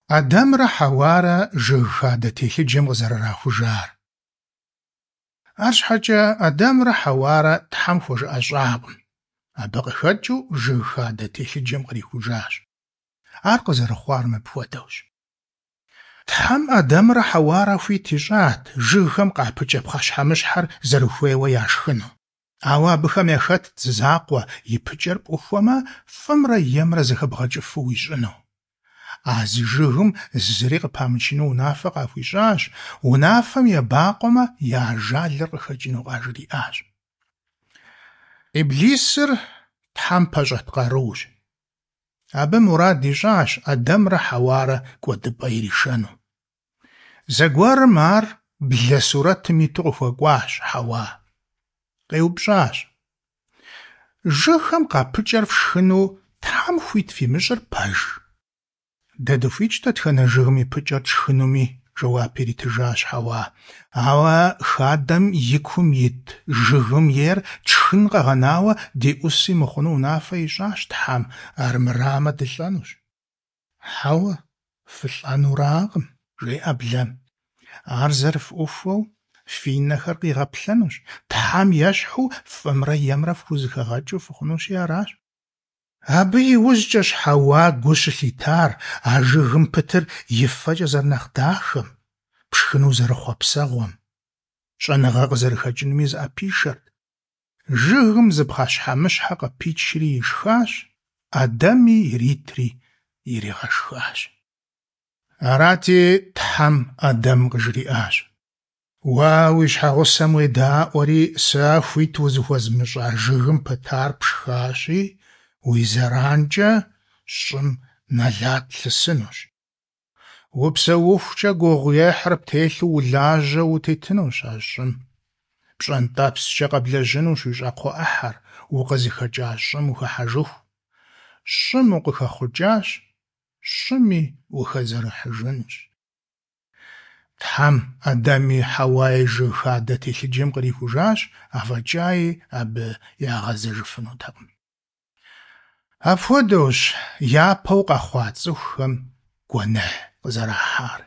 Адэмрэ Хьэуарэ жыг хадэ телъыджэм къызэрырахужар. Арщхьэкӏэ Адэмрэ Хьэуарэ Тхьэм хуэжыӏэщӏакъым. Абы къыхэкӏыу жыг хадэ телъыджэм кърихужащ. Ар къызэрыхъуар мыпхуэдэущ. Тхьэм Адэмрэ Хьэуарэ хуит ищӏат жыгхэм къапыкӏэ пхъэщхьэмыщхьэр зэрыхуейуэ яшхыну. Ауэ абыхэм яхэтт зы закъуэ, и пыкӏэр пӏухуэмэ, фӏымрэ емрэ зэхэбгъэкӏыфу уищӏыну. А зы жыгым зыри къыпамычыну унафэ къахуищӏащ, унафэм ебакъуэмэ, я ажалыр къыхэкӏыну къажриӏащ. Иблисыр Тхьэм пэщӏэт къарущ. Абы мурад ищӏащ Адэмрэ Хьэуарэ кӏуэдыпӏэ иришэну. Зэгуэрым ар блэ сурэтым иту къыхуэкӏуащ Хьэуа. Къеупщӏащ: Жыгхэм къапыкӏэр фшхыну Тхьэм хуит фимыщӏыр пэж? Дэ дыхуитщ дэтхэнэ жыгым и пыкӏэр тшхынуми, жэуап иритыжащ Хьэуа. Ауэ хадэм и кум ит жыгым ейр тшхын къэгъэнауэ деӏуси мыхъуну унафэ ищӏащ Тхьэм, армырамэ дылӏэнущ. Хьэуэ, фылӏэнуракъым, жеӏэ блэм. Ар зэрыфӏухуэу фи нэхэр къигъэплъэнущ, Тхьэм ещхьу фӏымрэ емрэ фхузэхэгъэкӏыу фыхъунущи аращ. Абы и ужькӏэщ Хьэуа гу щылъитар а жыгым пытыр и фэкӏэ зэрынэхъ дахэм, пшхыну зэрыхъуэпсэгъуэм. Щӏэныгъэ къызэрыхэкӏынуми зыӏэпишэрт. Жыгым зы пхъэщхьэмыщхьэ къыпичри ишхащ, Адэми иритри иригъэшхащ. Арати, Тхьэм Адэм къыжриӏащ: Уэ уи щхьэгъусэм уедаӏуэри, сэ хуит узыхуэзмыщӏа жыгым пытар пшхащи, уи зэранкӏэ щӏым нэлат лъысынущ. Упсэухукӏэ гугъуехьыр птелъу улажьэу утетынущ а щӏым. Пщӏэнтӏэпскӏэ къэблэжьынущ уи щӏакхъуэ ӏыхьэр, укъызыхэкӏа щӏым ухыхьэжыху. Щӏым укъыхэхъукӏащ, щӏыми ухэзэрыхьыжынущ. Тхьэм Адэми Хьэуаи жыг хадэ телъыджэм кърихужащ, афӏэкӏаи абы ягъэзэжыфынутэкъым. Апхуэдэущ япэу къэхъуа цӏыхухэм гуэныхь къызэрахьар.